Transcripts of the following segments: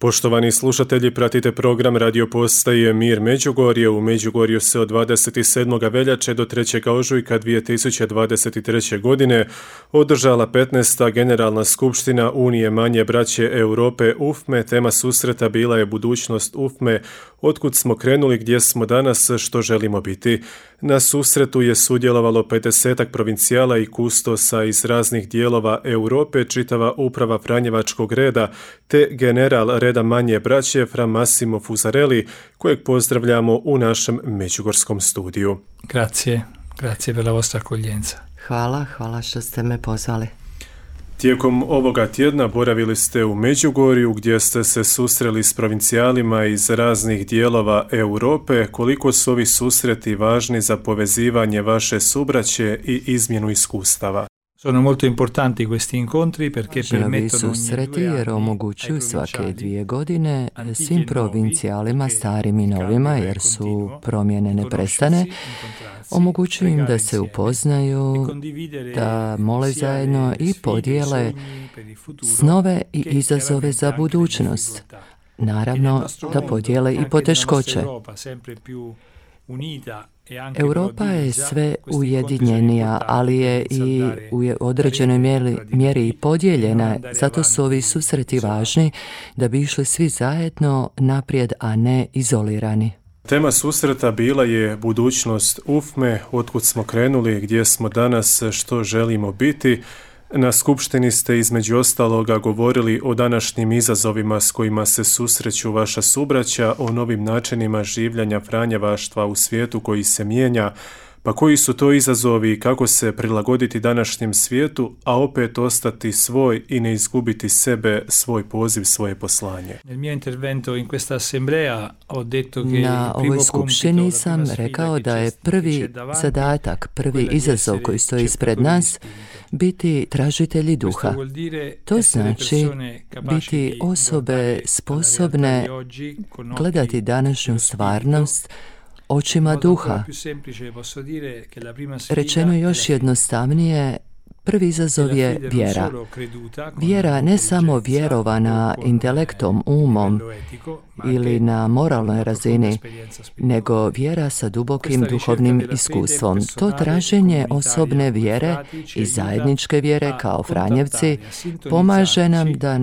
Poštovani slušatelji, pratite program radio postaje Mir Međugorje. U Međugorju se od 27. veljače do 3. ožujka 2023. godine održala 15. Generalna skupština Unije manje braće Europe UFME. Tema susreta bila je budućnost UFME, otkud smo krenuli, gdje smo danas, što želimo biti. Na susretu je sudjelovalo 50 provincijala i kustosa iz raznih dijelova Europe, čitava uprava Franjevačkog reda, te general reda manje braće Fra Massimo Fusarelli, kojeg pozdravljamo u našem međugorskom studiju. Grazie per la vostra accoglienza. Hvala što ste me pozvali. Tijekom ovoga tjedna boravili ste u Međugorju gdje ste se susreli s provincijalima iz raznih dijelova Europe. Koliko su ovi susreti važni za povezivanje vaše subraće i izmjenu iskustava? Sono molto importanti questi incontri perché permettono ovi susreti jer omogućuju svake 2 godine svim provincijalima, starim i novima, jer su promjene neprestane, omogućuju im da se upoznaju, da mole zajedno i podijele snove i izazove za budućnost. Naravno, da podijele i poteškoće. Europa je sve ujedinjenija, ali je i u određenoj mjeri i podijeljena, zato su ovi susreti važni da bi išli svi zajedno naprijed, a ne izolirani. Tema susreta bila je budućnost UFME, otkud smo krenuli, gdje smo danas, što želimo biti. Na skupštini ste između ostaloga govorili o današnjim izazovima s kojima se susreću vaša subraća, o novim načinima življenja franjevaštva u svijetu koji se mijenja. Pa koji su to izazovi i kako se prilagoditi današnjem svijetu, a opet ostati svoj i ne izgubiti sebe, svoj poziv, svoje poslanje? Na ovoj skupštini sam rekao da je prvi zadatak, prvi izazov koji stoji ispred nas biti tražitelji duha. To znači biti osobe sposobne gledati današnju stvarnost očima duha. Rečeno još jednostavnije, prvi izazov je vjera. Vjera ne samo vjerovana intelektom, umom ili na moralnoj razini, nego vjera sa dubokim duhovnim iskustvom. To traženje osobne vjere i zajedničke vjere kao Franjevci pomaže nam da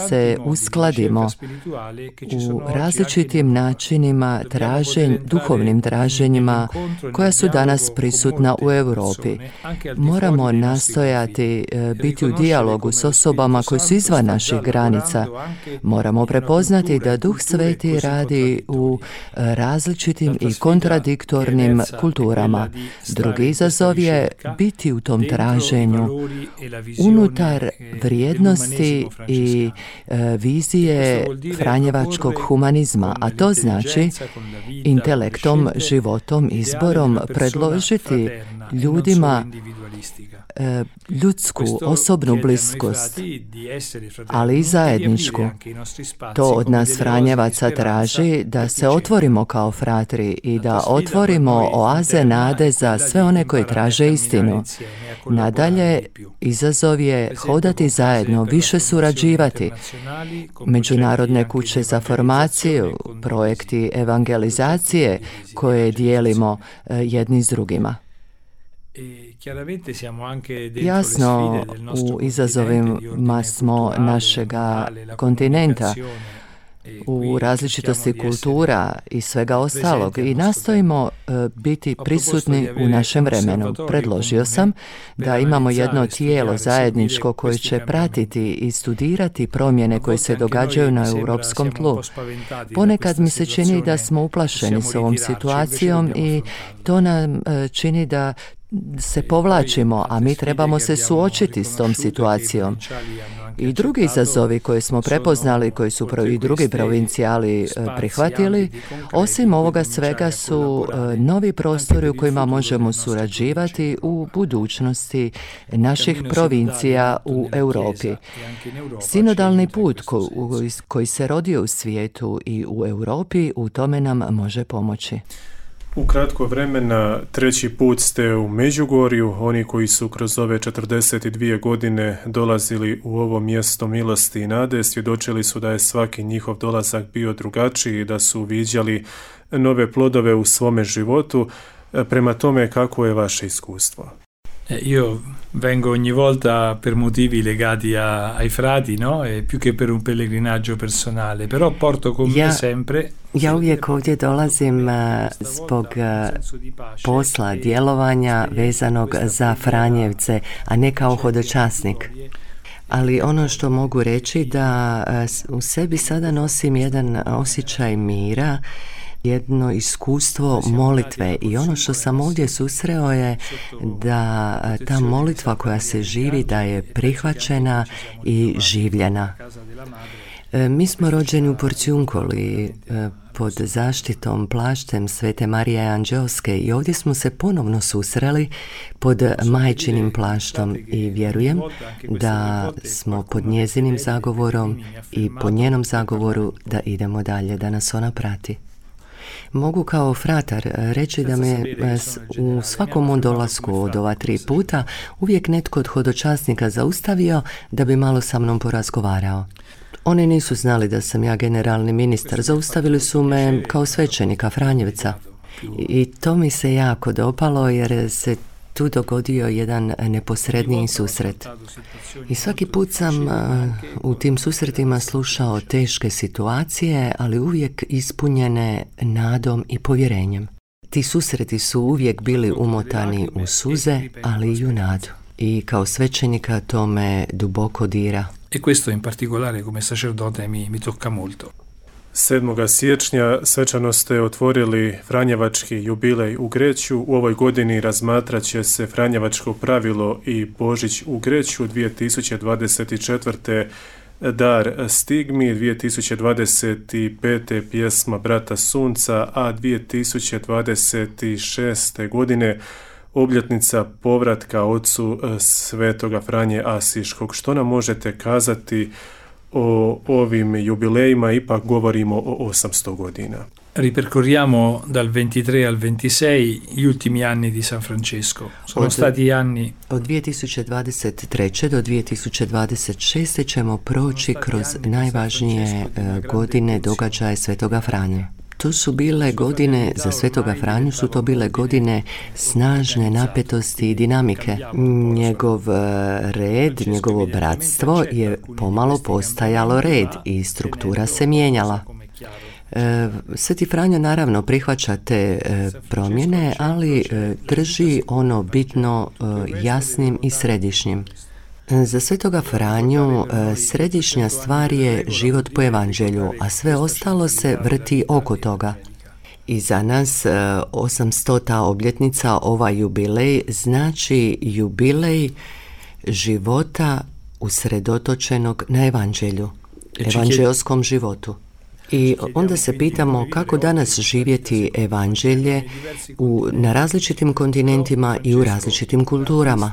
se uskladimo u različitim načinima duhovnim traženjima koja su danas prisutna u Europi. Moramo nastojati biti u dijalogu s osobama koji su izvan naših granica. Moramo prepoznati da Duh Sveti radi u različitim i kontradiktornim kulturama. Drugi izazov je biti u tom traženju unutar vrijednosti i vizije franjevačkog humanizma, a to znači intelektom, životom, izborom predložiti ljudima ljudsku, osobnu bliskost, ali i zajedničku. To od nas Franjevaca traži da se otvorimo kao fratri i da otvorimo oaze nade za sve one koji traže istinu. Nadalje, izazov je hodati zajedno, više surađivati. Međunarodne kuće za formaciju, projekti evangelizacije koje dijelimo jedni s drugima. Jasno, u izazovima smo našega kontinenta, u različitosti kultura i svega ostalog i nastojimo biti prisutni u našem vremenu. Predložio sam da imamo jedno tijelo zajedničko koje će pratiti i studirati promjene koje se događaju na europskom tlu. Ponekad mi se čini da smo uplašeni s ovom situacijom i to nam čini da se povlačimo, a mi trebamo se suočiti s tom situacijom. I drugi izazovi koje smo prepoznali, koji su i drugi provincijali prihvatili, osim ovoga svega su novi prostori u kojima možemo surađivati u budućnosti naših provincija u Europi. Sinodalni put koji se rodio u svijetu i u Europi u tome nam može pomoći. U kratko vremena, treći put ste u Međugorju. Oni koji su kroz ove 42 godine dolazili u ovo mjesto milosti i nade, svjedočili su da je svaki njihov dolazak bio drugačiji i da su viđali nove plodove u svome životu. Prema tome, kako je vaše iskustvo? Io vengo ogni volta per motivi legati ai frati, no? E più che per un pellegrinaggio personale, però porto con me sempre. Ja uvijek ovdje dolazim zbog posla, djelovanja vezanog za Franjevce, a ne kao hodočasnik. Ali ono što mogu reći da u sebi sada nosim jedan osjećaj mira, jedno iskustvo molitve i ono što sam ovdje susreo je da ta molitva koja se živi da je prihvaćena i življena. Mi smo rođeni u Porciuncoli pod zaštitom plaštem Svete Marije Anđeoske i ovdje smo se ponovno susreli pod majčinim plaštom i vjerujem da smo pod njezinim zagovorom i po njenom zagovoru da idemo dalje, da nas ona prati. Mogu kao fratar reći da me u svakom mom dolasku od ova 3 puta uvijek netko od hodočasnika zaustavio da bi malo sa mnom porazgovarao. Oni nisu znali da sam ja generalni ministar, zaustavili su me kao svećenika Franjevca. I to mi se jako dopalo jer se tu dogodio jedan neposredniji susret. I svaki put sam u tim susretima slušao teške situacije, ali uvijek ispunjene nadom i povjerenjem. Ti susreti su uvijek bili umotani u suze, ali i u nadu. I kao svećenika to me duboko dira. E questo in particolare come sacerdote mi tocca molto. 7. siječnja svečano ste otvorili Franjevački jubilej u Greću. U ovoj godini razmatrat će se Franjevačko pravilo i Božić u Greću. 2024. Dar stigmi, 2025. pjesma Brata Sunca, a 2026. godine obljetnica povratka ocu Svetoga Franje Asiškog. Što nam možete kazati o ovim jubilejima? Ipak govorimo o 800 godina. Ripercorriamo dal 23 al 26 gli ultimi anni di San Francesco. Sono stati anni od 2023. do 2026. ćemo proći kroz najvažnije godine događaje Svetoga Franje. To su bile godine, za Svetoga Franju su to bile godine snažne napetosti i dinamike. Njegov red, njegovo bratstvo je pomalo postajalo red i struktura se mijenjala. Sveti Franjo naravno prihvaća te promjene, ali drži ono bitno jasnim i središnjim. Za Svetoga Franju središnja stvar je život po evanđelju, a sve ostalo se vrti oko toga. I za nas 800. obljetnica, ovaj jubilej, znači jubilej života usredotočenog na evanđelju, evanđelskom životu. I onda se pitamo kako danas živjeti evanđelje na različitim kontinentima i u različitim kulturama.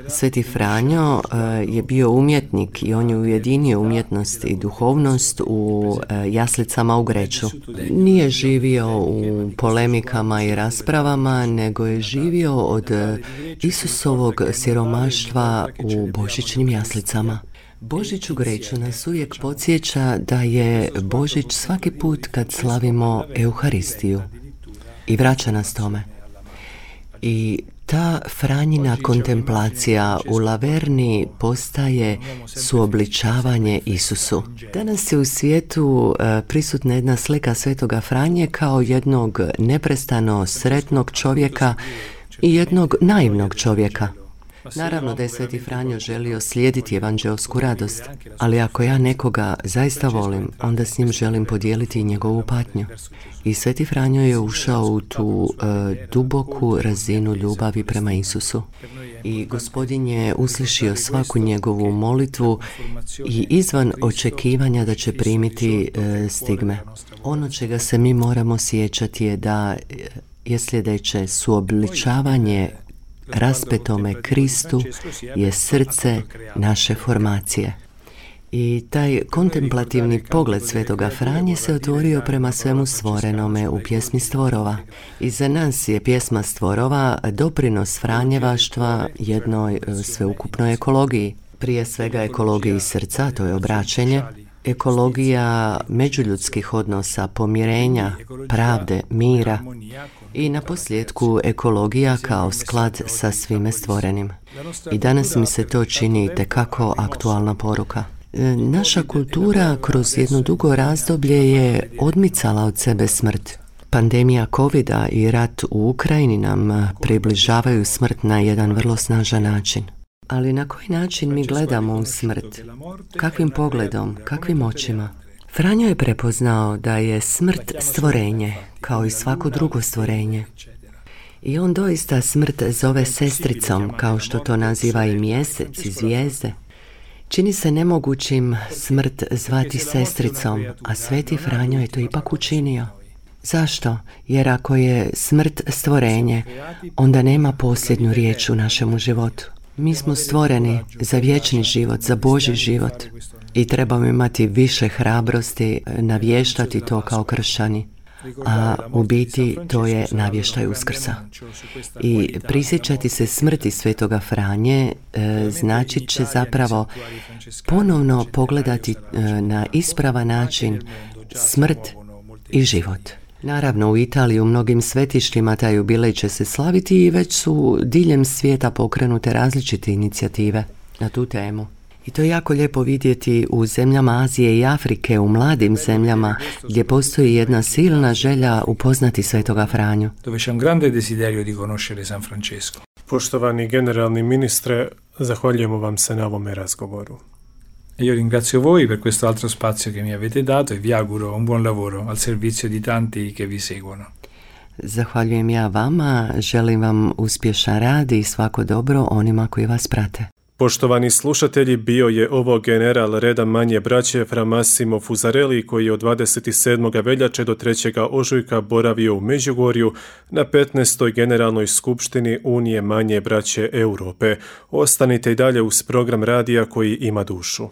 Sveti Franjo je bio umjetnik i on je ujedinio umjetnost i duhovnost u jaslicama u Greću. Nije živio u polemikama i raspravama, nego je živio od Isusovog siromaštva u božićnim jaslicama. Božić u Greću nas uvijek podsjeća da je Božić svaki put kad slavimo Euharistiju i vraća nas tome. I ta Franjina kontemplacija u Laverni postaje suobličavanje Isusu. Danas je u svijetu prisutna jedna slika Svetoga Franje kao jednog neprestano sretnog čovjeka i jednog naivnog čovjeka. Naravno da je Sveti Franjo želio slijediti evanđelsku radost, ali ako ja nekoga zaista volim, onda s njim želim podijeliti i njegovu patnju. I Sveti Franjo je ušao u tu duboku razinu ljubavi prema Isusu. I Gospodin je uslišio svaku njegovu molitvu i izvan očekivanja da će primiti stigme. Ono čega se mi moramo sjećati je da je sljedeće: suobličavanje raspetome Kristu je srce naše formacije. I taj kontemplativni pogled Svetoga Franje se otvorio prema svemu stvorenome u pjesmi Stvorova. I za nas je pjesma Stvorova doprinos Franjevaštva jednoj sveukupnoj ekologiji. Prije svega ekologiji srca, to je obraćenje, ekologija međuljudskih odnosa, pomirenja, pravde, mira i naposljetku ekologija kao sklad sa svime stvorenim. I danas mi se to čini itekako aktualna poruka. Naša kultura kroz jedno dugo razdoblje je odmicala od sebe smrt. Pandemija covida i rat u Ukrajini nam približavaju smrt na jedan vrlo snažan način. Ali na koji način mi gledamo u smrt? Kakvim pogledom? Kakvim očima? Franjo je prepoznao da je smrt stvorenje, kao i svako drugo stvorenje. I on doista smrt zove sestricom, kao što to naziva i mjesec i zvijezde. Čini se nemogućim smrt zvati sestricom, a Sveti Franjo je to ipak učinio. Zašto? Jer ako je smrt stvorenje, onda nema posljednju riječ u našemu životu. Mi smo stvoreni za vječni život, za Božji život i trebamo imati više hrabrosti navještati to kao kršćani. A u biti to je navještaj Uskrsa. I prisjećati se smrti Svetoga Franje značit će zapravo ponovno pogledati na ispravan način smrt i život. Naravno, u Italiji u mnogim svetištima taj jubilej će se slaviti i već su diljem svijeta pokrenute različite inicijative na tu temu. I to je jako lijepo vidjeti u zemljama Azije i Afrike, u mladim zemljama gdje postoji jedna silna želja upoznati Svetoga Franju. Dove c'è un grande desiderio di conoscere San Francesco. Poštovani generalni ministre, zahvaljujemo vam se na ovome razgovoru. Io ringrazio voi per questo altro spazio che mi avete dato e vi auguro un buon lavoro al servizio di tanti che vi seguono. Zahvaljujem ja vama, želim vam uspješan rad i svako dobro onima koji vas prate. Poštovani slušatelji, bio je ovo general reda manje braće Fra Massimo Fusarelli koji je od 27. veljače do 3. ožujka boravio u Međugorju na 15. generalnoj skupštini Unije manje braće Europe. Ostanite i dalje uz program radija koji ima dušu.